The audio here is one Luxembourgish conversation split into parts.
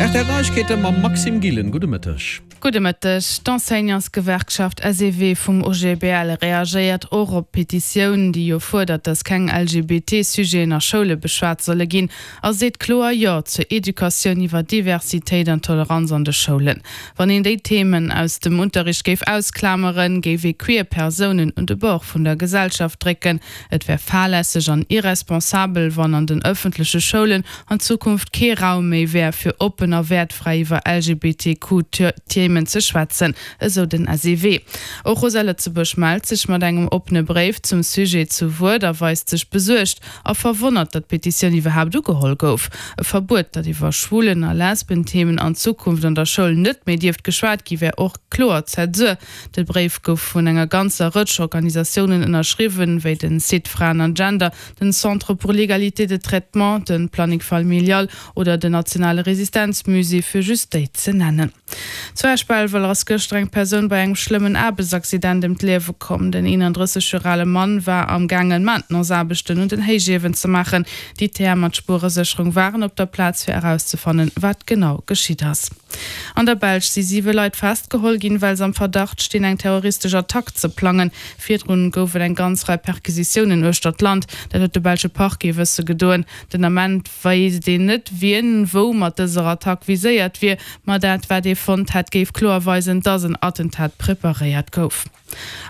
Rtl Neiegkeete mam Maxime Gillen. Gudde Mëtteg. Gudde Mëtteg. D'Enseignantsgewerkschaft SEW vum OGBL reagéiert och op d'Petitioun, déi jo fuerdert, datt keng LGBT-Sujeten a Schoule beschwat solle ginn, a seet kloer Jo zur Educatioun iwwer Diversitéit an Toleranz an de Schoulen. Wann een déi Themen aus dem Unterricht géif ausklameren, géif ee queer Persounen un de Bord vun der Gesellschaft drécken. Et wär fahrlässeg an irresponsabel, wann an den ëffentleche Schoulen an Zukunft kee Raum méi wär, fir oppen a wäertfräi iwwer LGBTQ-Themen ze schwätzen, esou den SEW. Och Rosa Lëtzebuerg mellt sech mat engem oppene Bréif zum Sujet zu Wuert a weist sech besuergt a verwonnert, datt d'Petitioun iwwerhaapt ugeholl gouf. E Verbuet, datt iwwer Schwulen a Lesbenthemen an Zukunft an der Schoul net méi dierft geschwat gi wär och kloer Zäsur. De Bréif gouf vun enger ganzer Rëtsch Organisatiounen ënnerschriwwen, wéi den Site Fraen an Gender, den Centre pour l'égalité de traitement, de Planning Familial oder den Nationale Resistenzmusée, fir just déi ze nennen. Zu Esch-Belval ass gëschter eng Persoun bei engem schlëmmen Aarbechtsaccident ëm d'Liewe komm. Den 31 Joer ale Mann war am gaangen, Maintenance-Aarbechten un den Héichiewen ze maachen. D'ITM an d'Spueresécherung waren op der Plaz, fir erauszefannen, wat genau geschitt ass. An der Belsch si siwe Leit festgeholl ginn, well se am Verdacht stinn, eng terroristesch Attack ze plangen. Virdrun gouf et eng ganz Rei Perquisitiounen uechter d'Land. Dat huet de belsche Parquet wësse gedoen. Den Ament wéisst een net, wien wou mat dëser Attack viséiert wier, ma dat wat ee fonnt hätt, géif kloer weisen, dass en Attentat preparéiert gouf.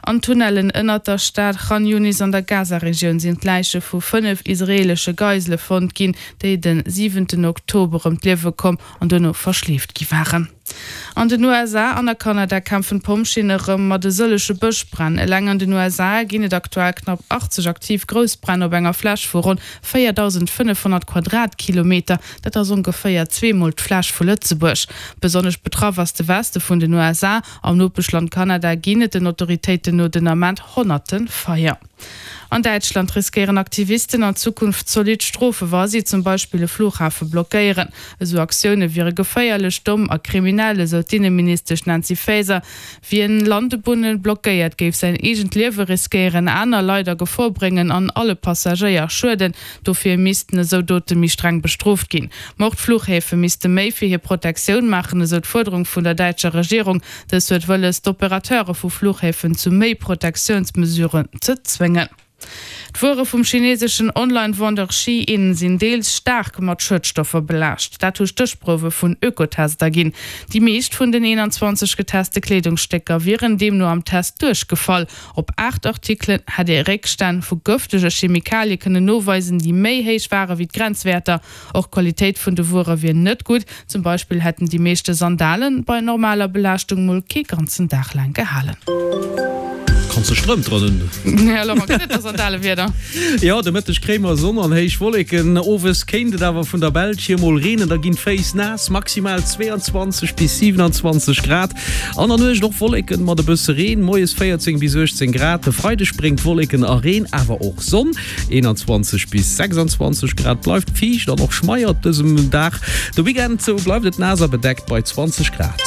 An Tunnellen ënnert der Stad Chan Yunis an der Gaza-Regioun sinn d'Läiche vu 5 israeelesche Geisele fonnt ginn, déi de siwenten Oktober ëm d'Liewe komm an duerno verschleeft gi waren. An den USA an a Kanada kämpfen d'Pompjeeën erëm mat e sëllege Bëschbränn. Eleng an den USA ginn et aktuell knapp 80 aktiv Groussbränn op enger Fläch vu ronn 4.500 Quadratkilometer. Dat ass ongeféier zweemol d'Fläch vu Lëtzebuerg. Besonnesch betraff ass de Weste vun den USA. Am Nopeschland Kanada ginn et den Autoritéiten no den Ament honnerte Feier. An Däitschland riskéieren Aktivisten an Zukunft zolidd Strofe wa si zum Beispill e Flughafe blockéieren. Esou Aktioune wiere geféierlech, domm a kriminell, esou d'Inneministesch Nancy Faeser. Wien Landebunne blockéiert, géif säin eegent Liewe riskéieren, aner Leit a Gefor bréngen an alle Passagéier schueden. Dofir missten esou Dote méi streng bestrooft ginn. Ma och d'Fluchhäfe misste méi fir hir Protektioun maachen, esou d'Fuerderung vun der däitscher Regierung. Dës huet wëlles, d'Opérateure vu Fluchhäfen zu méi Protektiounsmesuren ze zwéngen. D'Wuere vum chineseschen Online-Vendeur Shein sinn deels staark mat Schuedstoffer belaascht. Dat hu Stéchprouwe vun Ökotest erginn. Déi meescht vun den 21 geteste Kleedungsstécker wieren deemno am Test duerchgefall. Op 8 Artikelen hätt ee Réckstänn vu gëftege Chemikalie kënnen noweisen, déi méi héich ware wéi d'Grenzwäerter. Och d'Qualitéit vun de Wuere wier net gutt. Zum Beispill hätten déi meeschte Sandale bei normaler Belaaschtung mol kee ganzen Dag laang gehalen. Kanns de Strëmp dran hunn. Ja, Laurent, gëtt et da Sandalewieder? Jo, de Mëtteg kréie mer Sonn an héich Wolleken. Owes kéint et awer vun der Belsch hier mol reenen, da ginn d'Féiss naass, maximal 22 bis 27 Grad. An der Nuecht och Wolleken mat e bësse Reen, moies 14 bis 18 Grad. De Freideg bréngt Wolleken a Reen, awer och Sonn, 21 bis 26 Grad. Bleift fiicht an och schmeier op dësem Dag. De Weekend bleift et naass a bedeckt bei 20 Grad.